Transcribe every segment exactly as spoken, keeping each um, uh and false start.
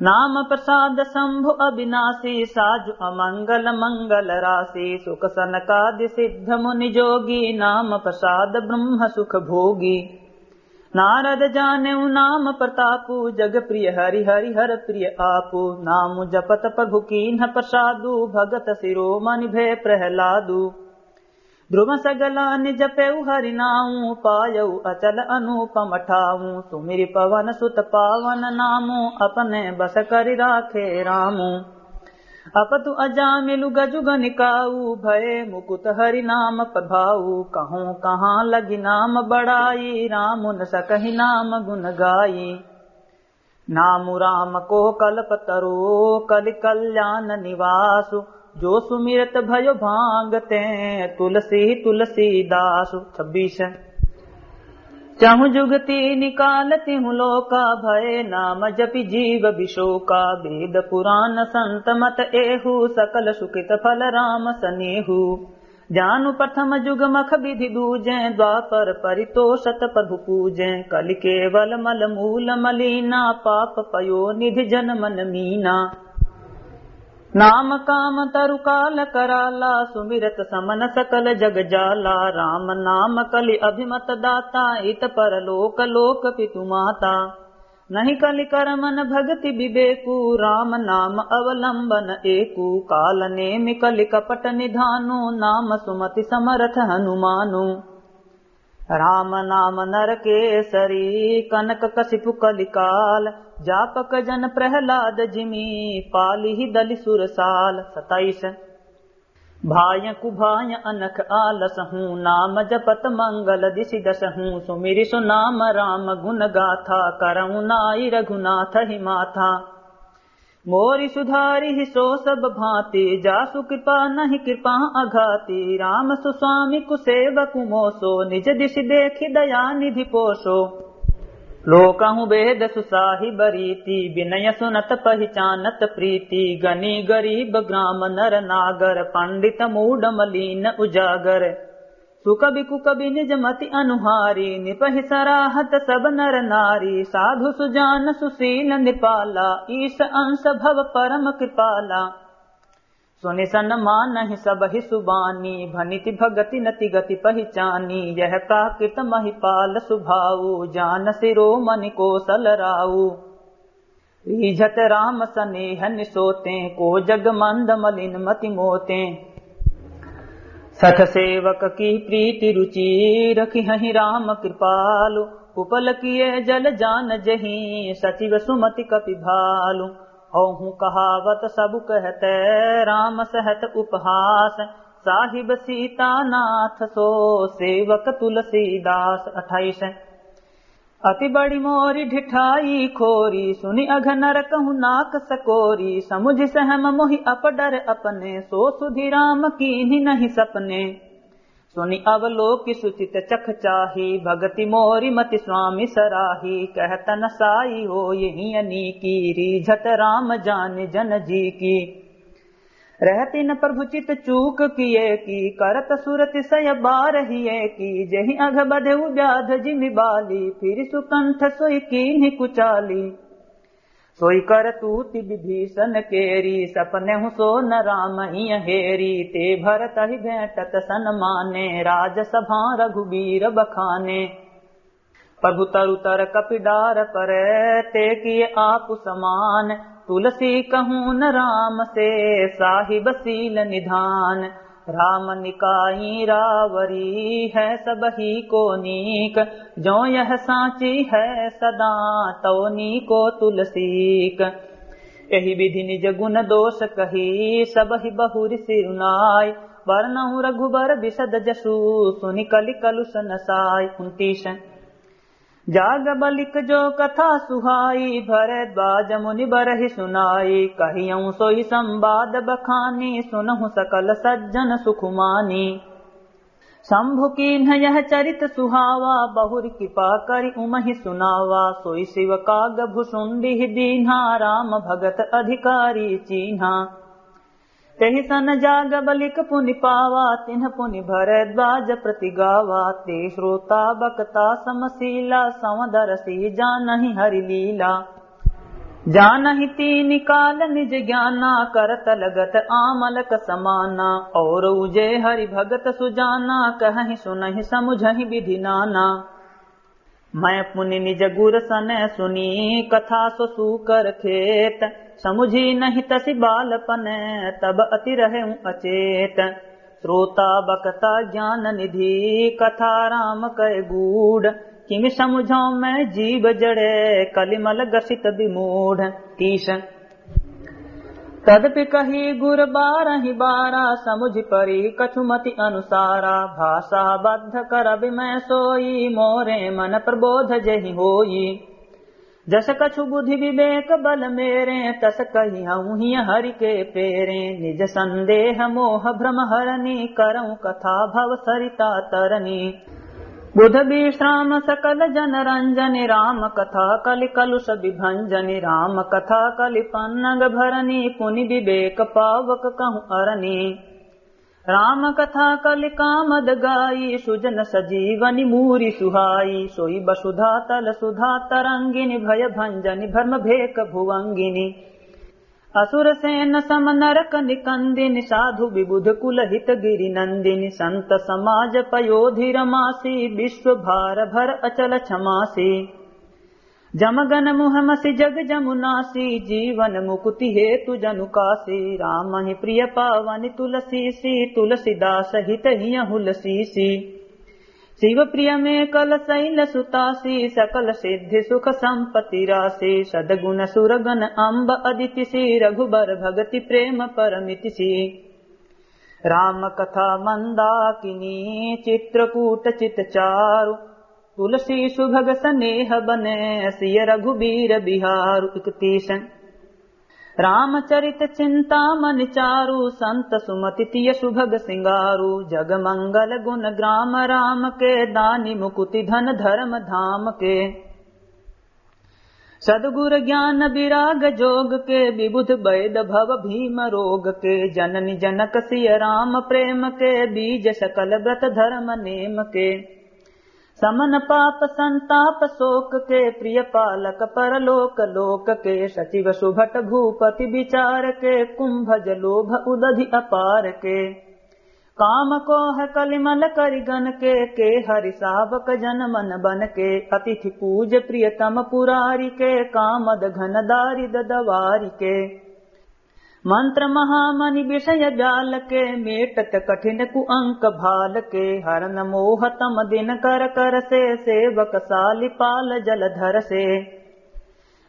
नाम प्रसाद शंभु अविनाशी, साजु अमंगल मंगल राशि। सुख सनकादि सिद्ध मुनि जोगी, नाम प्रसाद ब्रह्म सुख भोगी। नारद जानेउ नाम प्रतापु, जग प्रिय हरि हरि हर प्रिय आपु। नाम जपत प्रभु कीन्ह प्रसादु, भगत शिरोमणि भय प्रहलादु। ध्रुव सगलानि जपेउ हरि नाउ, पायउ अचल अनुपम ठाउ। सुमिरि पवन सुत पावन नामु, अपने बस करि राखे रामु। अपतु अजामिलु गजु गनिकाउ, भये मुकुत हरि नाम प्रभाउ। कहूँ कहाँ लगि नाम बड़ाई, रामुन सकहि नाम गुन गाई। नामु राम को कल्पतरु, कलि कल्याण निवासु। जो सुमिरत भयो भांगते, तुलसी तुलसीदासु। छब्बीस। चहुँ जुग तीनि काल तिहुँ लोका, भये नाम जपि जीव विशोका। वेद पुराण संत मत एहू, सकल सुकृत फल राम सनेहू। जानु प्रथम जुग मख विधि दूजें, द्वापर परितोषत प्रभु पूजें। कलि केवल मल मूल मलीना, पाप पयो निधि जन मन मीना। नाम काम तरु काल कराला, सुमिरत समन सकल जग जाला। राम नाम कलि अभिमत दाता, इत परलोक लोक पितु माता। नहीं कलि कर मन भगति विवेकु, राम नाम अवलंबन एकु। काल नेमि कलि कपट निधानु, नाम सुमति समरथ हनुमानु। राम नाम नरकेसरी, कनक कसिपु कलिकाल। जापक जन प्रहलाद जिमि, पालिहि दलि सुरसाल। सताइस। भाय कुभाय अनख आलसहु, नाम जपत मंगल दिसि दसहु। सुमिरि सो नाम राम गुन गाथा, करहु नाई रघुनाथ ही माथा। मोरि सुधारिहि सो सब भाँति, जासु कृपा नहीं कृपा अघाति। राम सुस्वामिकु सेवकु मोसो, निज दिसि देखि दया निधि पोसो। लोकहु बेदसु साहिब रीति, बिनय सुनत पहिचानत प्रीति। गनि गरीब ग्राम नर नागर, पंडित मूढ़ मलीन उजागर। सुकवि कुकवि निज मति अनुहारी, निपहि सराहत सब नर नारी। साधु सुजान सुसील नृपाला, ईस अंश भव परम कृपाला। सुनि सन मानहि सबहि सुबानी, भनिति भगति नति गति पहिचानी। यह प्राकृत महिपाल सुभाऊ, जान सिरोमणि कोसल राऊ। रीझत राम सनेह निसोते, को जग मंद मलिन मति मोते। सठ सेवक की प्रीति रुचि, रखिहहि राम कृपालु। उपल किए जल जान जही, सचिव सुमति कपि भालु। औहु कहावत सबु कहत, राम सहत उपहास। साहिब सीतानाथ सो, सेवक तुलसीदास। अट्ठाईस। अति बड़ी मोरी ढिठाई खोरी, सुनि अघ नर कहु नाक सकोरी। समुझि सहम मोहि अपडर अपने, सो सुधि राम कीन्हि नहीं सपने। सुनि अवलोकि सुचित चख चाही, भगति मोरी मति स्वामी सराही। कहत न साई होय हियनी की, रीझत राम जानि जन जी की। रहति न प्रभु चित चूक किए की, करत सुरति सय बार हिए की। जेहि अघ बधेउ व्याध जिमि बाली, फिरि सुकंठ सोइ कीन्हि कुचाली। सोइ करतूति विभीषण केरी, सपनेहु सो न राम हिय हेरी। ते भरतहि भेंटत सन माने, राजसभा रघुबीर बखाने। प्रभु तरु तर कपि डार परे, ते किए आपु समान। तुलसी कहून राम से, साहिब सील निधान। राम निकाई रावरी, है सबही को नीक। जो यह साँची है सदा, तौ नीको तुलसीक। एहि विधि निज गुन दोष कही, सबहि बहुरि सिरुनाई। बरनउँ रघुबर बिसद जसु, सुनि कलि कलुष नसाई। उनतीस। जाग बलिक जो कथा सुहाई, भरद्वाज मुनि बरहि सुनाई। कहियउँ सोइ संवाद बखानी, सुनहु सकल सज्जन सुख मानी। शंभु कीन्ह यह चरित सुहावा, बहुरि कृपा करि उमहि सुनावा। सोइ शिव काग भुसुंडी दीन्हा, राम भगत अधिकारी चीन्हा। तेहि सन जाग बलिक पुनि पावा, तिन्ह पुनि भरद्वाज प्रति गावा। ते श्रोता बकता समसीला, संवदरसि जानहि हरि लीला। जानहि तीन काल निज ज्ञाना, करत लगत आमलक समाना। और उजे हरि भगत सुजाना, कहहि सुनहि समुझहि विधि नाना। मैं पुनि निज गुर सने सुनी, कथा सो सूकर खेत। समुझी नहीं तसि बालपन, तब अति रहेउ अचेत। श्रोता बकता ज्ञान निधि, कथा राम कय गूढ़। किमि समुझौ मैं जीव जड़े, कलिमल ग्रसित विमूढ़। तीस। तदपि कही गुर बारहि बारा, समुझि परि कछु मति अनुसारा। भाषा बद्ध करबि मैं सोई, मोरे मन प्रबोध जेहि होई। जस कछु बुद्धि विवेक बल मेरे, तस कहिहउँ हिय हरि के पेरे। निज संदेह मोह भ्रम हरनी, करउँ कथा भव सरिता तरनी। बुध विश्राम सकल जन रंजनी, राम कथा कलि कलुष विभंजनी। राम कथा कलि पन्नग भरनी, पुनि विवेक पावक कहूँ अरनी। राम कथा कलि कामद गाई, सुजन सजीवनि मूरि सुहाई। सोई वसुधा तल सुधा तरंगिनी, भय भंजनी भ्रम भेक भुवंगिनी। असुर सेन सम नरक निकंदिनी, साधु विबुध कुल हित गिरि नंदिनी। संत समाज पयोधि रमासी, विश्व भार भर अचल क्षमासी। जमगन मुहमसि जग जमुनासी, जीवन मुकुति हेतु जनु कासी। रामहि प्रिय पावनि तुलसीसी, तुलसीदास हित हियँ हुलसीसी। शिव प्रिय में कल शैल सुतासी, सकल सिद्धि सुख संपत्ति रासी। सदगुण सुरगन अम्ब अदितिसी, रघुबर भगति प्रेम परमितिसी। राम कथा मंदाकिनी चित्रकूट चित चारु, तुलसी सुभग सनेह बने सिय रघुबीर बिहारु। इकतीस। रामचरित चिंतामणि चारु, संत सुमति तिय सुभग सिंगारु। जग मंगल गुण ग्राम राम के, दानि मुकुति धन धर्म धाम के। सद्गुर ज्ञान विराग जोग के, विबुध वैद भव भीम रोग के। जननी जनक सिय राम प्रेम के, बीज सकल व्रत धर्म नेम के। समन पाप संताप शोक के, प्रिय पालक परलोक लोक के। सचिव सुभट भूपति विचार के, कुंभज लोभ उदधि अपार के। काम कोह कलिमल करि गन के, के हरि सावक जन मन बन के। अतिथि पूज प्रियतम पुरारि के, कामद घन दारिद दवारि के। मंत्र महामणि विषय जाल के, मेटत कठिन कुअंक भाल के। हरन मोह तम दिन कर कर से, सेवक सालि पाल जलधर से।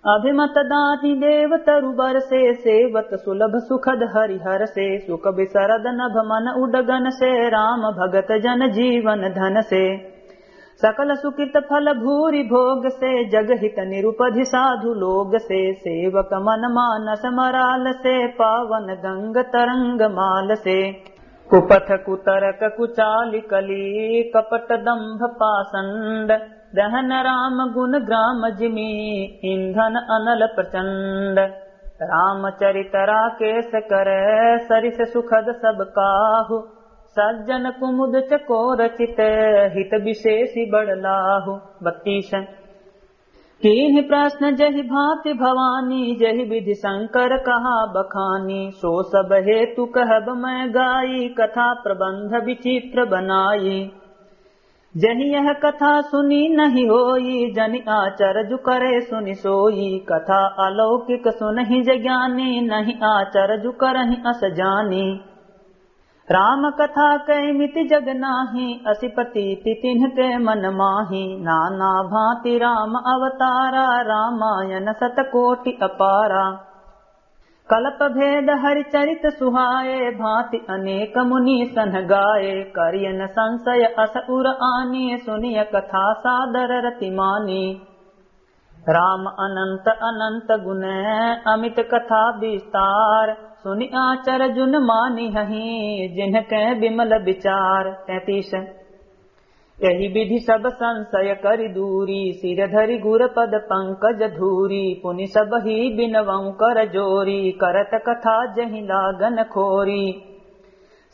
अभिमत दानि देव तरु बरसे, सेवत सुलभ सुखद हरिहरसे। सुख बिसरद नभ मन उडगन से, राम भगत जन जीवन धन से। सकल सुकृत फल भूरि भोग से, जग हित निरुपधि साधु लोग से। सेवक मन मानस मराल से, पावन गंग तरंग माल से। कुपथ कुतरक कुचालि कली, कपट दंभ पाषंड। दहन राम गुण ग्राम जिमि, इंधन अनल प्रचंड। रामचरित राकेश कर, सरिस सुखद सब काहु। सज्जन कुमुद चकोर चित, हित विशेषि बड़ लाहु। बत्तीस। कीन्हि प्रश्न जहि भांति भवानी, जहि विधि शंकर कहा बखानी। सो सब हेतु कहब मैं गाई, कथा प्रबंध विचित्र बनाई। जहि यह कथा सुनी नहीं होई, जनि आचरजु करे सुनि सोई। कथा अलौकिक सुनहि जे ज्ञानी, नहीं आचरजु करहि अस जानी। राम कथा कै मिति जग नाही, असि प्रतीति तिन्ह के मन माही। नाना भांति राम अवतारा, रामायण सत कोटि अपारा। कल्प भेद हरि चरित सुहाए, भांति अनेक मुनि सन गाए। करियन संशय अस उर आनी, सुनिय कथा सादर रति मानी। राम अनंत अनंत गुण, अमित कथा विस्तार। सुनि आचरजुन मानिहहि, जिनके विमल विचार। तैंतीस। एहि विधि सब संशय करि दूरी, सिर धरि गुर पद पंकज धूरी। पुनि सबहि बिनवउँ कर जोरी, करत कथा जहि लागन खोरी।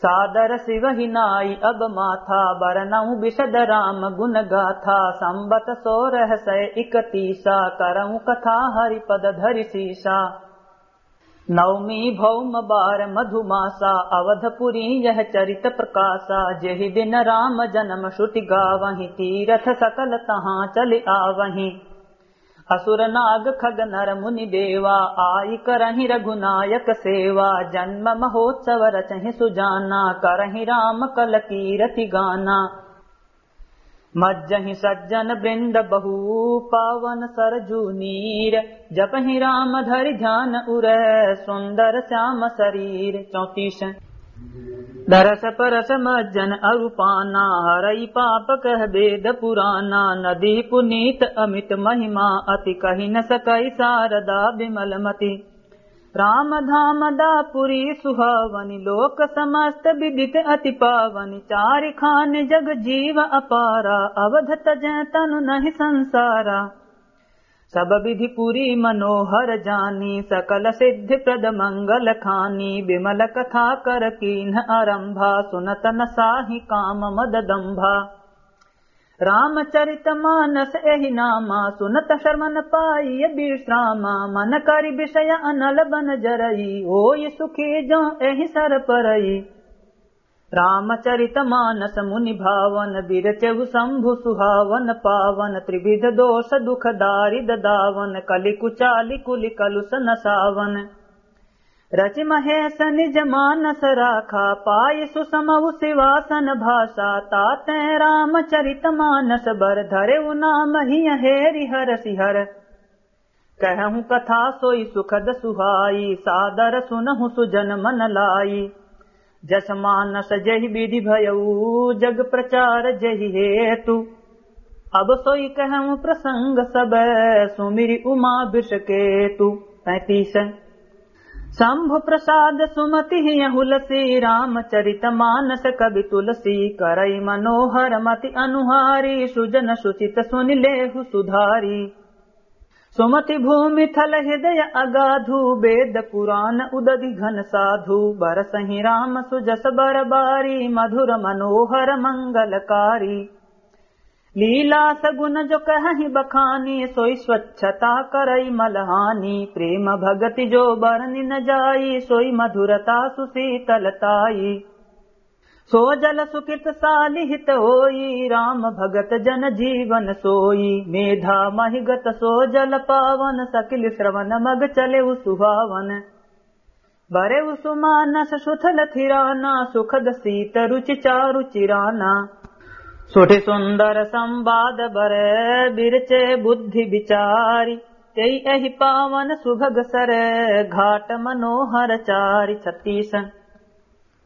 सादर सिवहि नाई अब माथा, बरनउँ बिशद राम गुन गाथा। संबत सोरह सय इकतीसा, करउँ कथा हरिपद धरि सीसा। नवमी भौम बार मधुमासा, अवधपुरी यह चरित प्रकासा। जेहि दिन राम जनम श्रुति गावहिं, तीरथ सकल तहाँ चलि आवहिं। असुर नाग खग नर मुनि देवा, आइ करहिं रघुनायक सेवा। जन्म महोत्सव रचहिं सुजाना, करहिं राम कल कीरति गाना। मज्जहिं सज्जन वृंद बहु, पावन सरजू नीर। जपहिं राम धरि ध्यान उर, सुंदर श्याम शरीर। चौंतीस। दरस परस मज्जन अरु पाना, हरइ पाप कह वेद पुराना। नदी पुनीत अमित महिमा, अति कहि न सकइ सारदा विमल मति। राम धाम दापुरी सुहावनि, लोक समस्त विदित अति पावनि। चारि खानि जग जीव अपारा, अवध तजै तनु नहि संसारा। सब विधि पुरी मनोहर जानी, सकल सिद्धि प्रद मंगल खानी। विमल कथा कर कीन्ह आरंभा, सुनत न साहि काम मद दंभा। रामचरित मानस एहि नामा, सुनत श्रवण पाइय विश्रामा। मन करि विषय अनल बन जरई, होई सुखी जो एहि सर परई। रामचरित मानस मुनि भावन, बिरचेउ शंभु सुहावन पावन। त्रिविध दोष दुख दारिद दावन, कलि कुचालि कुलि कलुष नसावन। रचि महेश निज मानस राखा, पाइ सुषमउ सिवासन भाषा। तातें रामचरित मानस बर, धरेउ नाम हिय हेरि हरषि हर। कहउँ कथा सोइ सुखद सुहाई, सादर सुनहु सुजन मन लाई। जस मानस जेहि विधि भयउ, जग प्रचार जेहि हेतु। अब सोइ कहउँ प्रसंग सब, सुमिरि उमा वृषकेतु। पैंतीस। शंभु प्रसाद सुमति हियँ हुलसी, रामचरित मानस कवि तुलसी। करइ मनोहर मति अनुहारी, सुजन सुचित सुनि लेहु सुधारी। सुमति भूमि थल हृदय अगाधु, वेद पुराण उदधि घन साधु। बरसहिं राम सुजस बर बारी, मधुर मनोहर मंगलकारी। लीला सगुन जो कहहिं बखानी, सोइ स्वच्छता करइ मल हानि। प्रेम भगति जो बरनि न जाई, सोइ मधुरता सुशीतलताई। सो जल सुकृत सालि हित होई, राम भगत जन जीवन सोई। मेधा महिगत सो जल पावन, सकिल श्रवण मग चलेउ सुहावन। बरेउ सुमानस सुथल थिराना, सुखद सीत रुचि चारु चिराना। सुठि सुंदर संवाद बरे, बिरचे बुद्धि बिचारी। तेइ एहि पावन सुभग सर, घाट मनोहर चारि। छत्तीस।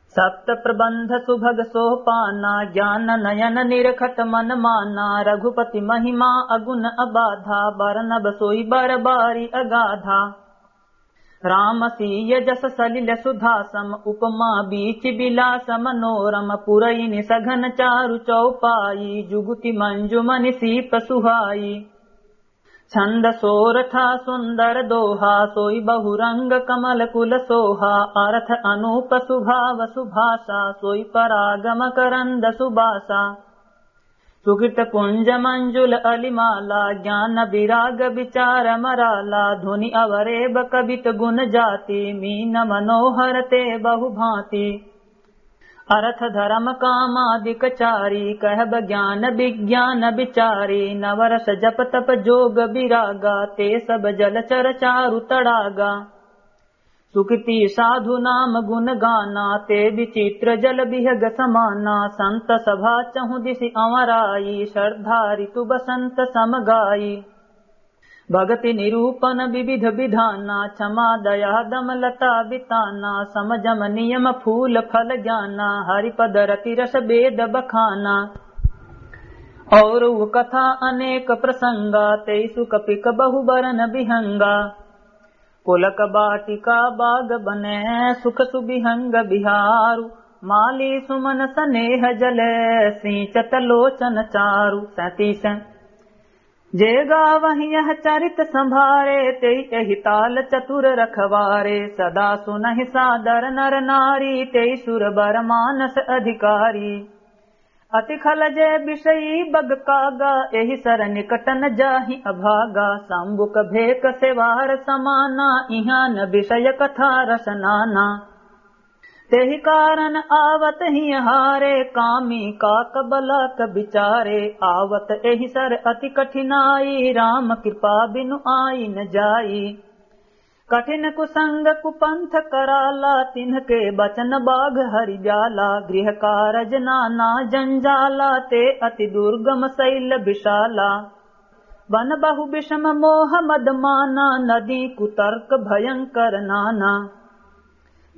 सप्त प्रबंध सुभग सोपाना, ज्ञान नयन निरखत मन माना। रघुपति महिमा अगुन अबाधा, बरनब सोइ बर बारी अगाधा। राम सीय जस सलिल सुधा सम, उपमा बीच बिलास मनोरम। पुरइन सघन चारु चौपाई, जुगुति मंजुमनि सीप सुहाई। छंद सोरठा सुंदर दोहा, सोइ बहुरंग कमल कुल सोहा। अर्थ अनूप सुभाव सुभाषा, सोइ पराग मकरंद सुबासा। सुकृत पुंज मंजुल अलिमाला, ज्ञान विराग विचार मराला। धुनि अवरेब कबित गुन जाति, मीन मनोहर ते बहुभांति। अर्थ धरम कामादिक चारी, कहब ज्ञान विज्ञान विचारी। नवरस जप तप जोग विरागा, ते सब जलचर चारु तड़ागा। सुकृति साधु नाम गुन गाना, ते विचित्र जल बिहग समाना। संत सभा चहुँ दिसि अंवराई, श्रद्धा ऋतु बसंत सम गाई। भगति निरूपन विविध विधाना, क्षमा दया दम लता बिताना। सम जम नियम फूल फल ज्ञाना, हरिपद रति रस वेद बखाना। और उ कथा अनेक प्रसंगा, तेइसु कपिक बहु बरन बिहंगा। पुलक बाटिका बाग बने, सुख सुबिहंग बिहारु। माली सुमन सनेह जल, सींचत लोचन चारु। सैंतीस। जे गावहि यह चरित संभारे, तेई एहि ताल चतुर रखवारे। सदा सुनहि सादर नर नारी, तेई सुर बर मानस अधिकारी। अति खल जे विषयी बग कागा, एहि सर निकट न जाहि अभागा। शंबुक भेक सेवार समाना, इहाँ न विषय कथा रस नाना। तेहि कारण आवत हिय हारे, कामी काक बलाक विचारे। आवत एहि सर अति कठिनाई, राम कृपा बिनु आई न जाई। कठिन कुसंग कुपंथ कराला, तिन्हके बचन बाघ हरि ब्याला। गृह कारज नाना जंजाला, ते अति दुर्गम शैल विशाला। वन बहु विषम मोह मद माना, नदी कुतर्क भयंकर नाना।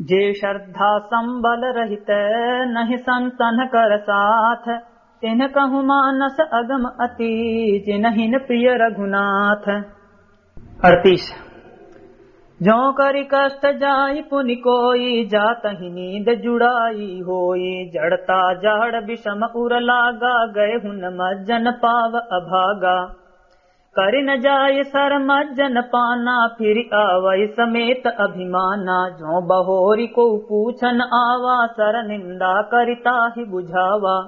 जे श्रद्धा संबल रहित, नहीं संतन कर साथ। तिन्ह कहु मानस अगम अति, जिनहिन प्रिय रघुनाथ। अड़तीस। जो करि कष्ट जाई पुनि कोई, जातहि नींद जुड़ाई होई। जड़ता जाड़ विषम उर लागा, गए हुन मज्जन पाव अभागा। करि न जाय सर मज्जन पाना, फिरि आवै समेत अभिमाना। जो बहोरि को पूछन आवा, सर निंदा करि ताहि बुझावा।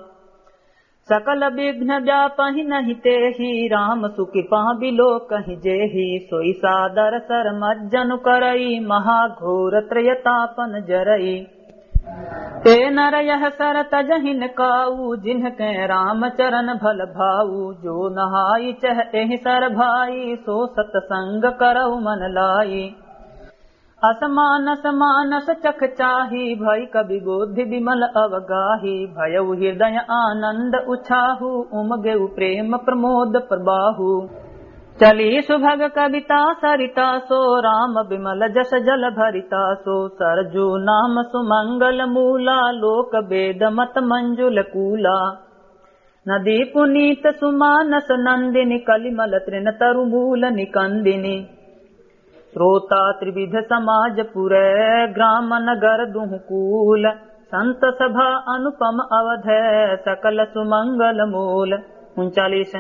सकल विघ्न व्यापहि नहीं तेहि, राम सुकृपा बिलोकहि जेहि। सोई सादर सर मज्जन करई, महाघोर त्रयतापन जरई। ते नर यह सर तजहिन काऊ, जिनके राम चरण भल भाऊ। जो नहाई चह एहि सर भाई, सो सतसंग करऊ मन लाई। असमानस मानस चख चाही, भई कवि बोधि विमल अवगाही। भयउ हृदय आनंद उछाहू, उमगेउ प्रेम प्रमोद प्रबाहू। चली सुभग कविता सरिता सो, राम विमल जस जल भरिता सो। सरजू नाम सुमंगल मूला, लोक वेद मत मंजुल कूला। नदी पुनीत सुमानस नंदिनी, कलिमल तृण तरु मूल निकंदिनी। श्रोता त्रिविध समाज पुरै, ग्राम नगर दुहु कूल। संत सभा अनुपम अवध, सकल सुमंगल मूल। उनचालीस।